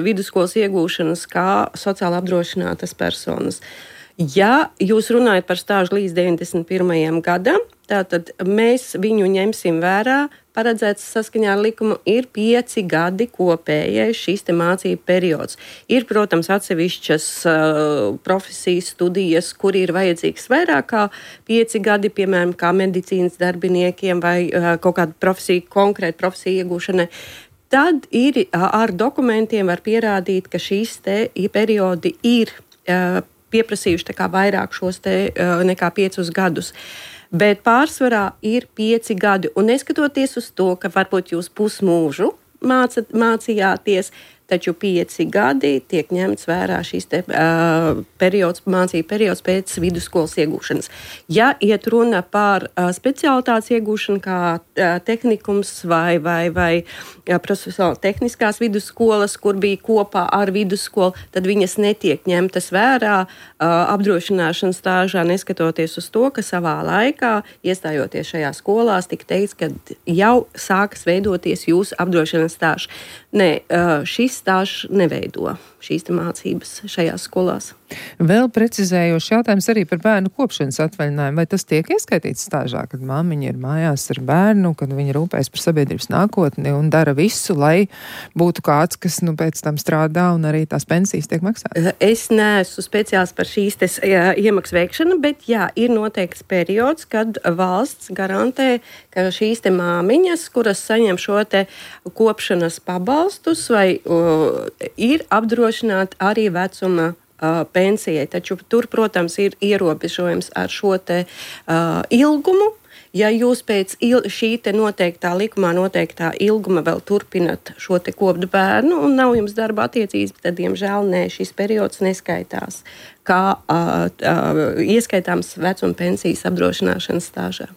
vidusskolas iegūšanas kā sociāli apdrošinātas personas. Ja jūs runājat par stāžu līdz 91. gadam, tātad mēs viņu ņemsim vērā. Paredzēts saskaņā ar likumu ir 5 gadi kopējais šīs te mācību periods. Ir, protams, atsevišķas profesijas studijas, kur ir vajadzīgs vairāk kā 5 gadi, piemēram, kā medicīnas darbiniekiem vai kaut kāda profesija, konkrēta profesija iegūšanai. Tad ir ar dokumentiem var pierādīt, ka šīs te periodi ir pieprasījuši vairāk šos te nekā 5 gadus. Bet pārsvarā ir 5 gadi. Un neskatoties uz to, ka varbūt jūs pusmūžu mācījāties, taču 5 gadi tiek ņemts vērā šīs mācību periods pēc vidusskolas iegūšanas. Ja iet runa par specialitātes iegūšanu, kā tehnikums vai profesionāli tehniskās vidusskolas, kur bija kopā ar vidusskolu, tad viņas netiek ņemtas vērā apdrošināšanas stāžā, neskatoties uz to, ka savā laikā, iestājoties šajā skolās, tika teikts, ka jau sākas veidoties jūsu apdrošināšanas stāžs. Nē, šis stāžs neveido šīs mācības šajās skolās. Vēl precizējošs jautājums arī par bērnu kopšanas atvaļinājumu. Vai tas tiek ieskaitīts stāžā, kad māmiņa ir mājās ar bērnu, kad viņa rūpējas par sabiedrības nākotni un dara visu, lai būtu kāds, kas pēc tam strādā un arī tās pensijas tiek maksātas? Es neesmu speciāls par šīs iemaksu veikšanu, bet jā, ir noteikts periods, kad valsts garantē, ka šīs māmiņas, kuras saņem šo kopšanas pabalstus, vai ir apdrošināti arī vecuma pensijai. Taču tur, protams, ir ierobežojums ar šo ilgumu. Ja jūs pēc šī noteiktā likumā noteiktā ilguma vēl turpinat šo koptu bērnu un nav jums darba attiecības, tad, diemžēl, šis periods neskaitās kā ieskaitāms vecuma pensijas apdrošināšanas stāžā.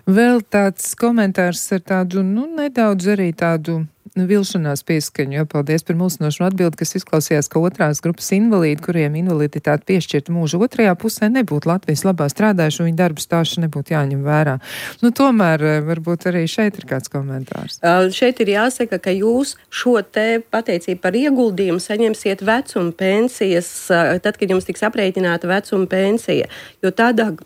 Vēl tāds komentārs ar tādu, nedaudz arī tādu vilšanās pieskaņu, jo paldies par mulsinošu atbildi, kas izklausījās, ka otrās grupas invalīdi, kuriem invaliditāte piešķirta mūža otrajā pusē, nebūtu Latvijas labā strādājuši un viņa darbu stāsts nebūtu jāņem vērā. Tomēr varbūt arī šeit ir kāds komentārs. Šeit ir jāsaka, ka jūs šo pateicību par ieguldījumu saņemsiet vecuma pensijas, tad, kad jums tiks aprēķināta vecuma pensija, jo tādā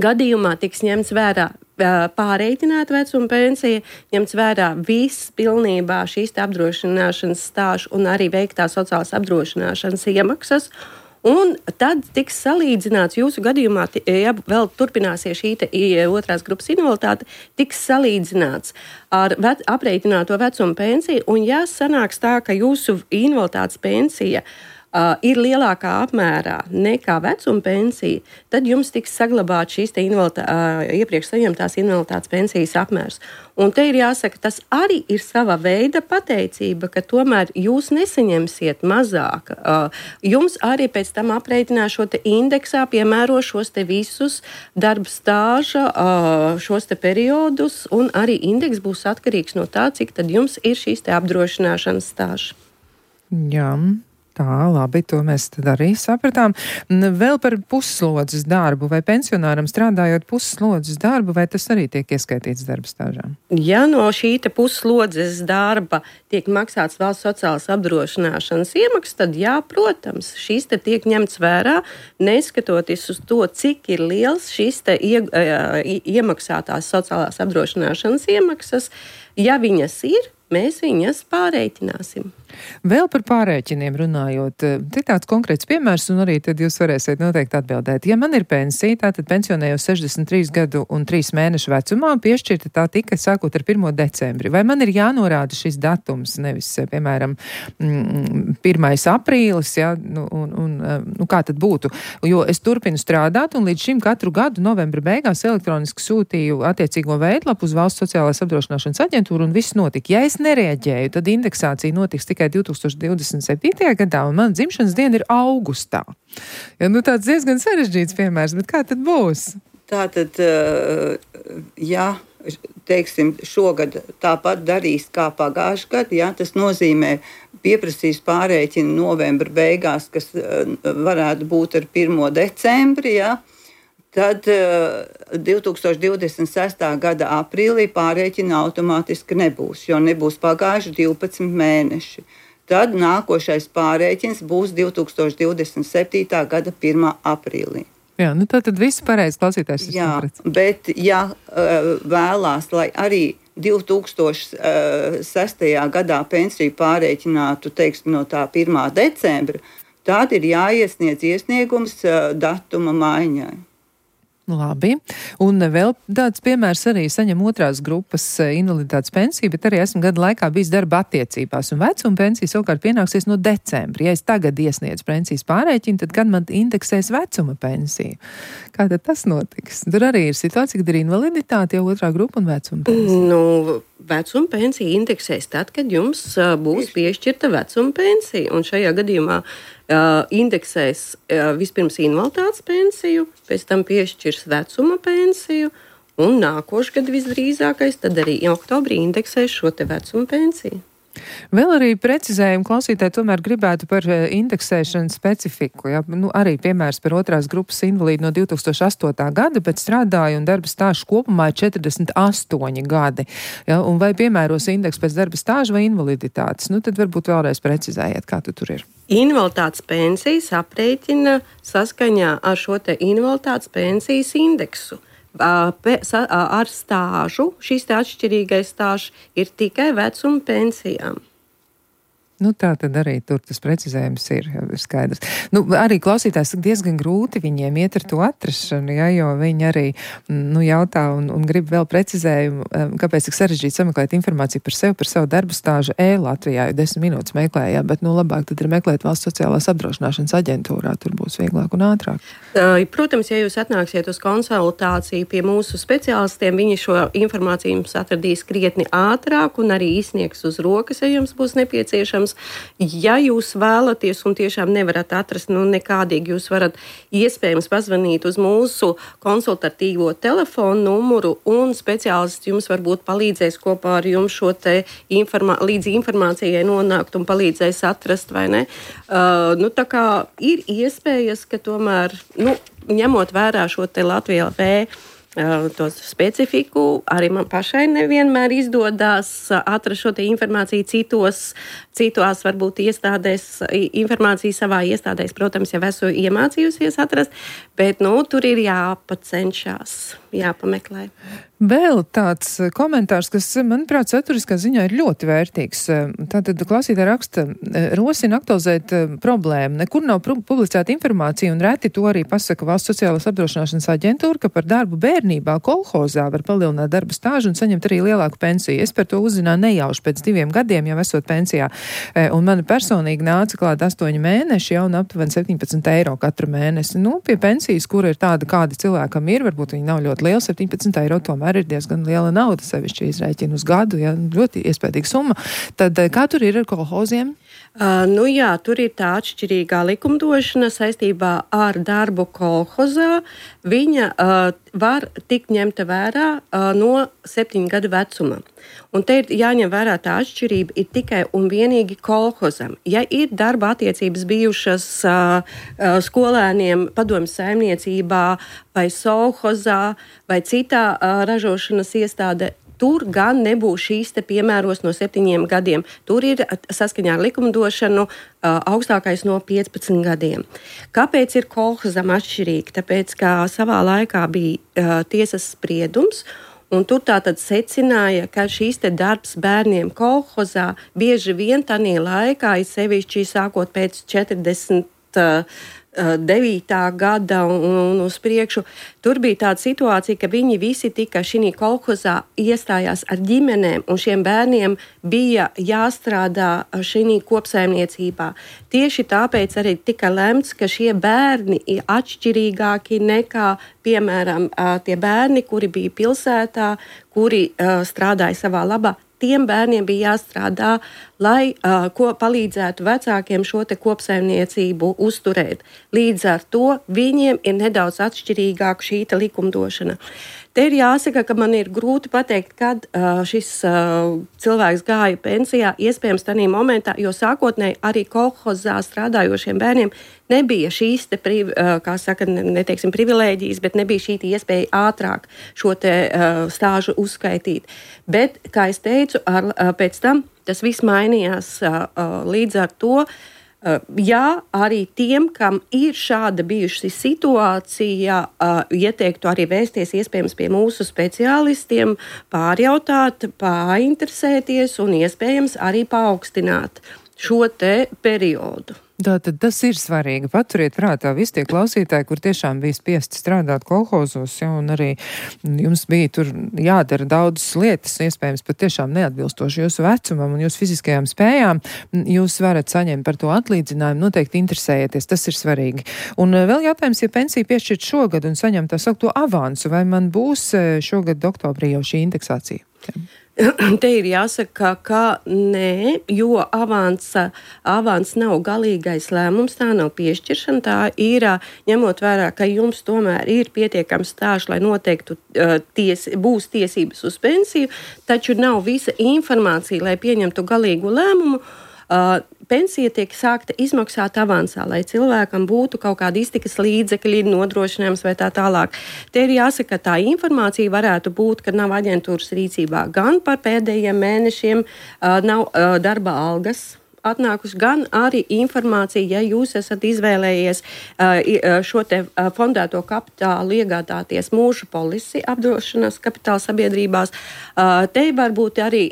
gadījumā tiks ņemts vērā pārreikināta vecuma pensija, ņemts vērā viss pilnībā šīs apdrošināšanas stāžu un arī veiktā sociālās apdrošināšanas iemaksas. Un tad tiks salīdzināts jūsu gadījumā, ja vēl turpināsies šī otrās grupas invaliditāte, tiks salīdzināts ar aprēķināto vecuma pensiju. Un ja sanāks tā, ka jūsu invaliditātes pensija ir lielākā apmērā nekā vecuma pensija, tad jums tiks saglabāt šīs iepriekš saņemtās invaliditātes pensijas apmērs. Un te ir jāsaka, tas arī ir sava veida pateicība, ka tomēr jūs nesaņemsiet mazāk. Jums arī pēc tam aprēķinās šo indeksā, piemēro šos visus darba stāža, šos periodus, un arī indeks būs atkarīgs no tā, cik tad jums ir šīs apdrošināšanas stāža. Jā. Tā, labi, to mēs tad arī sapratām. Vēl par pusslodzes darbu. Vai pensionāram strādājot pusslodzes darbu, vai tas arī tiek ieskaitīts darba stāžā? Ja no šī pusslodzes darba tiek maksāts valsts sociālās apdrošināšanas iemaksas, tad jā, protams, šīs tiek ņemts vērā, neskatoties uz to, cik ir liels šīs iemaksātās sociālās apdrošināšanas iemaksas. Ja viņas ir, mēs viņas pārreikināsim. Vēl par pārēķiniem runājot, te tāds konkrēts piemērs, un arī tad jūs varēsiet noteikti atbildēt. Ja man ir pensija, tātad pensionējos 63 gadu un 3 mēnešu vecumā, piešķirta tā tika sākot ar 1. decembri. Vai man ir jānorāda šis datums, nevis, piemēram, 1. aprīlis, ja, kā tad būtu? Jo es turpinu strādāt, un līdz šim katru gadu novembra beigās elektroniski sūtīju attiecīgo veidlapu uz Valsts sociālās apdrošināšanas aģentūru, un viss notika. Ja es nereaģēju, tad indeksācija notiks tikai 2027. gadā, un man dzimšanas diena ir augustā. Ja, tāds diezgan sarežģīts piemērs, bet kā tad būs? Tātad, ja, teiksim, šogad tāpat darīs kā pagājušajā gadā, ja, tas nozīmē pieprasīs pārēķinu novembra beigās, kas varētu būt ar 1. decembri, ja, tad 2026. gada aprīlī pārēķina automātiski nebūs, jo nebūs pagājuši 12 mēneši. Tad nākošais pārēķins būs 2027. gada 1. aprīlī. Jā, tad viss pareizi klausītājs. Jā, bet ja vēlās, lai arī 2006. gadā pensiju pārēķinātu, teiksim, no tā 1. decembra, tad ir jāiesniedz iesniegums datuma maiņai. Labi. Un vēl tāds piemērs arī saņem otrās grupas invaliditātes pensiju, bet arī esmu gadu laikā bijis darba attiecībās. Un vecuma pensija savukārt pienāksies no decembra. Ja es tagad iesniedzu pensijas pārēķinu, tad kad man indeksēs vecuma pensiju? Kā tad tas notiks? Tur arī ir situācija, kad ir invaliditāte jau otrā grupa un vecuma pensija. Vecuma pensija indeksēs tad, kad jums būs piešķirta vecuma pensija. Un šajā gadījumā indeksēs vispirms invaliditātes pensiju, pēc tam piešķirs vecuma pensiju, un nākošgad visdrīzākais tad arī oktobrī indeksēs šo te vecuma pensiju. Vēl arī precizējumu klausītāji tomēr gribētu par indeksēšanas specifiku. Ja? Arī piemērs par otrās grupas invalīdu no 2008. gada, bet strādāja un darba stāžu kopumā ir 48 gadi. Ja? Un vai piemēros indeks pēc darba stāža vai invaliditātes? Tad varbūt vēlreiz precizējiet, kā tu tur ir. Invaliditātes pensijas aprēķina saskaņā ar šo te invaliditātes pensijas indeksu. Ar stāžu, šis atšķirīgais stāžs ir tikai vecuma pensijām. Tā tad arī tur tas precizējums ir skaidrs. Arī klausītājs diezgan grūti viņiem iet ar to atrašanu, ja, jo viņi arī jautā un grib vēl precizējumu, kāpēc tik sarežģīti sameklēt informāciju par sevi, par savu darbu stāžu Latvijā, jo 10 minūtes meklējā, bet labāk tad ir meklēt Valsts sociālās apdrošināšanas aģentūrā, tur būs vieglāk un ātrāk. Protams, ja jūs atnāksiet uz konsultāciju pie mūsu speciālistiem, viņi šo informāciju jums atradīs krietni ātrāk un arī izsniegs uz rokas, ja jums būs nepieciešams. Ja jūs vēlaties un tiešām nevarat atrast nekādīgi, jūs varat iespējams pazvanīt uz mūsu konsultatīvo telefonu numuru un speciālists jums varbūt palīdzēs kopā ar jums šo te līdz informācijai nonākt un palīdzēs atrast, vai ne? Tā kā ir iespējas, ka tomēr, ņemot vērā šo te Latvijā to specifiku, arī man pašai nevienmēr izdodas atrast šo te informāciju citās varbūt iestādēs, informāciju savā iestādēs, protams, jau esmu iemācījusies atrast, bet tur ir jāpacenšās, jāpameklē. Vēl tāds komentārs, kas, manuprāt, saturiskā ziņā ir ļoti vērtīgs. Tātad klausītāji raksta, rosina aktualizēt problēmu. Nekur nav publicēta informācija un reti to arī pasaka Valsts sociālās apdrošināšanas aģentūra, ka par darbu bērnībā kolhozā var palielināt darba stāžu un saņemt arī lielāku pensiju. Es par to uzzināju nejauši pēc 2 gadiem, jau esot pensijā. Un man personīgi nāca klāt 8 mēneši jau un aptuveni 17 eiro katru mēnesi. Pie pensijas, kura ir tāda, kāda cilvēkam ir, varbūt viņi nav ļoti liela, 17 eiro tomēr ir diezgan liela nauda, sevišķi izrēķina uz gadu, ja, ļoti iespējīga summa. Tad kā tur ir ar kolhoziem? Tur ir tā atšķirīgā likumdošana saistībā ar darbu kolhozā. Viņa var tikt ņemta vērā no 7 gadu vecuma. Un te ir jāņem vērā tā atšķirība ir tikai un vienīgi kolhozam. Ja ir darba attiecības bijušas skolēniem padomju saimniecībā vai sovhozā vai citā ražošanas iestādē, tur gan nebūs šīs te piemēros no 7 gadiem. Tur ir saskaņā ar likumdošanu augstākais no 15 gadiem. Kāpēc ir kolhozam atšķirīgi? Tāpēc, ka savā laikā bija tiesas spriedums, un tur tātad secināja, ka šīs te darbs bērniem kolhozā bieži vien tanī laikā, sevišķi sākot pēc 49. gada un uz priekšu, tur bija tāda situācija, ka viņi visi tika šī kolhozā iestājās ar ģimenēm, un šiem bērniem bija jāstrādā šī kopsaimniecībā. Tieši tāpēc arī tika lemts, ka šie bērni ir atšķirīgāki nekā, piemēram, tie bērni, kuri bija pilsētā, kuri strādāja savā labā. Tiem bērniem bija jāstrādā, lai palīdzētu vecākiem šo te kopsaimniecību uzturēt. Līdz ar to viņiem ir nedaudz atšķirīgāka šī likumdošana. Te ir jāsaka, ka man ir grūti pateikt, kad šis cilvēks gāja pensijā, iespējams tādā momentā, jo sākotnēji arī kolhozā strādājošiem bērniem nebija šīs te, neteiksim privilēģijas, bet nebija šī iespēja ātrāk šo te stāžu uzskaitīt. Bet, kā es teicu, pēc tam tas viss mainījās līdz ar to. Jā, arī tiem, kam ir šāda bijusi situācija, ieteiktu arī vēsties iespējams pie mūsu speciālistiem, pārjautāt, painteresēties un iespējams arī paaugstināt šo te periodu. Tātad tas ir svarīgi. Paturiet prātā visi tie klausītāji, kur tiešām bija spiesti strādāt kolhozos, ja, un arī jums bija tur jādara daudzas lietas, iespējams pat tiešām neatbilstoši jūsu vecumam un jūsu fiziskajām spējām. Jūs varat saņemt par to atlīdzinājumu, noteikti interesējieties, tas ir svarīgi. Un vēl jautājums, ja pensija piešķirt šogad un saņem tā saukto avansu, vai man būs šogad oktobrī jau šī indeksācija? Te ir jāsaka, ka nē, jo avans nav galīgais lēmums, tā nav piešķiršana, tā ir ņemot vērā, ka jums tomēr ir pietiekams stāžs, lai noteiktu būs tiesības uz pensiju, taču nav visa informācija, lai pieņemtu galīgu lēmumu. Pensija tiek sākta izmaksāt avansā, lai cilvēkam būtu kaut kāda iztikas līdzekļi, nodrošinājums vai tā tālāk. Te ir jāsaka, ka tā informācija varētu būt, ka nav aģentūras rīcībā gan par pēdējiem mēnešiem, nav darba algas atnākuši, gan arī informācija, ja jūs esat izvēlējies šo te fondēto kapitālu iegādāties mūža polisi apdrošināšanas kapitāla sabiedrībās. Te var būt arī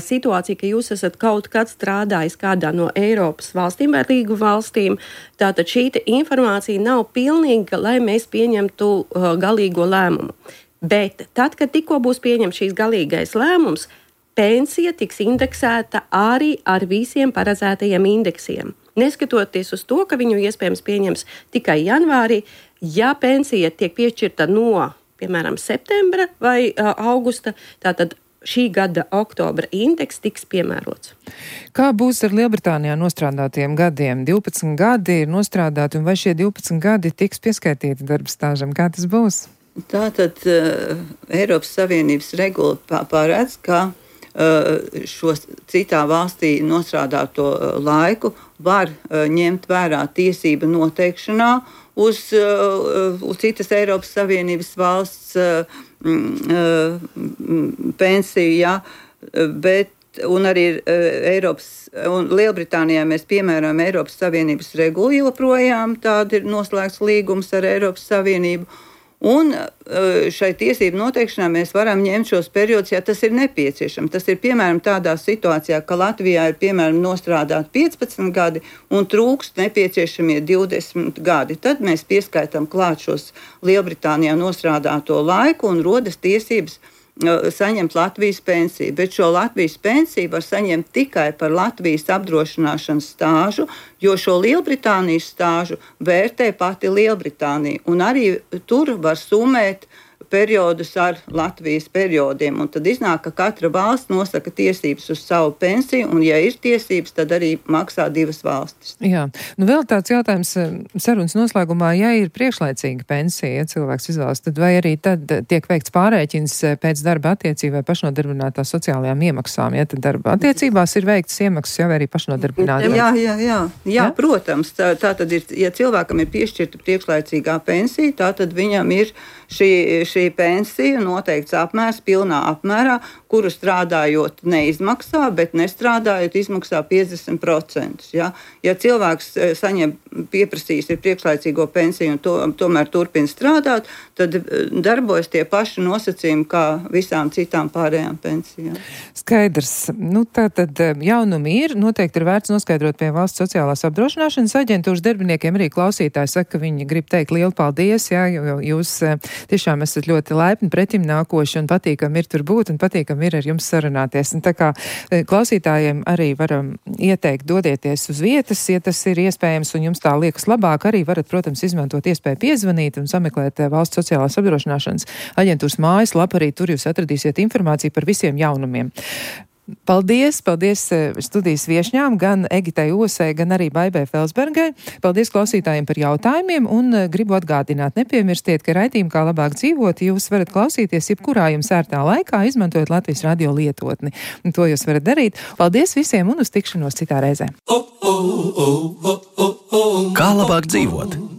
situācija, ka jūs esat kaut kad strādājis kādā no Eiropas valstīm vai līgu valstīm. Tātad šī informācija nav pilnīga, lai mēs pieņemtu galīgo lēmumu. Bet tad, kad tikko būs pieņemts šīs galīgais lēmums, pensija tiks indeksēta arī ar visiem paredzētajiem indeksiem. Neskatoties uz to, ka viņu iespējams pieņems tikai janvārī, ja pensija tiek piešķirta no, piemēram, septembra vai augusta, tātad šī gada oktobra indeks tiks piemērots. Kā būs ar Lielbritānijā nostrādātiem gadiem? 12 gadi ir nostrādāti, un vai šie 12 gadi tiks pieskaitīti darba stāžam? Kā tas būs? Tātad Eiropas Savienības regula paredz, ka šo citā valstī nostrādāto laiku var ņemt vērā tiesība noteikšanā uz citas Eiropas Savienības valsts pensiju, ja, bet un arī un Lielbritānijā mēs piemēram Eiropas Savienības regulu joprojām, tāda ir noslēgts līgums ar Eiropas Savienību. Un šai tiesību noteikšanā mēs varam ņemt šos periodus, ja tas ir nepieciešams. Tas ir piemēram tādā situācijā, ka Latvijā ir piemēram nostrādāt 15 gadi un trūkst nepieciešamie 20 gadi. Tad mēs pieskaitām klāt šos Lielbritānijā nostrādāto laiku un rodas tiesības saņemt Latvijas pensiju, bet šo Latvijas pensiju var saņemt tikai par Latvijas apdrošināšanas stāžu, jo šo Lielbritānijas stāžu vērtē pati Lielbritānija, un arī tur var summēt periodus ar Latvijas periodiem, un tad iznāk, ka katra valsts nosaka tiesības uz savu pensiju, un ja ir tiesības, tad arī maksā divas valstis. Jā, nu vēl tāds jautājums sarunas noslēgumā, ja ir priekšlaicīga pensija, ja cilvēks izvēlas, tad vai arī tad tiek veikts pārēķins pēc darba attiecību vai pašnodarbinātā sociālajām iemaksām, ja tad darba attiecībās ir veikts iemaksas jau arī pašnodarbinātā? Jā, protams, tā tad ir, ja cilvēkam ir piešķirta priekšlaicīgā pensija, tā tad viņam ir šī pensija noteikts apmērs, pilnā apmērā, kuru strādājot neizmaksā, bet nestrādājot izmaksā 50%. Ja, ja cilvēks pieprasījis ir priekšlaicīgo pensiju un tomēr turpina strādāt, tad darbojas tie paši nosacījumi kā visām citām pārējām pensijām. Skaidrs. Nu, tātad jaunumi ir, noteikti ir vērts noskaidrot pie Valsts sociālās apdrošināšanas aģentūras darbiniekiem. Arī klausītāji saka, ka viņi grib teikt lielu paldies, jā, jo jūs tiešām esat ļoti laipni pretim nākoši un patīkam ir tur būt un patīkam ir ar jums sarunāties. Un tā kā klausītājiem arī varam ieteikt dodieties uz vietas, ja tas ir iespējams un jums tā liekas labāk, arī varat, protams, izmantot iespēju piezvanīt un sameklēt Valsts sociālās apdrošināšanas aģentūras mājaslapu, arī tur jūs atradīsiet informāciju par visiem jaunumiem. Paldies studijas viešņām, gan Egitai Osai, gan arī Baibai Felsbergai. Paldies klausītājiem par jautājumiem un gribu atgādināt, nepiemirstiet, ka raidījumu Kā labāk dzīvot jūs varat klausīties jebkurā jums ērtā laikā, izmantojot Latvijas radio lietotni. Un to jūs varat darīt. Paldies visiem un uz tikšanos citā reizē. Kā labāk dzīvot?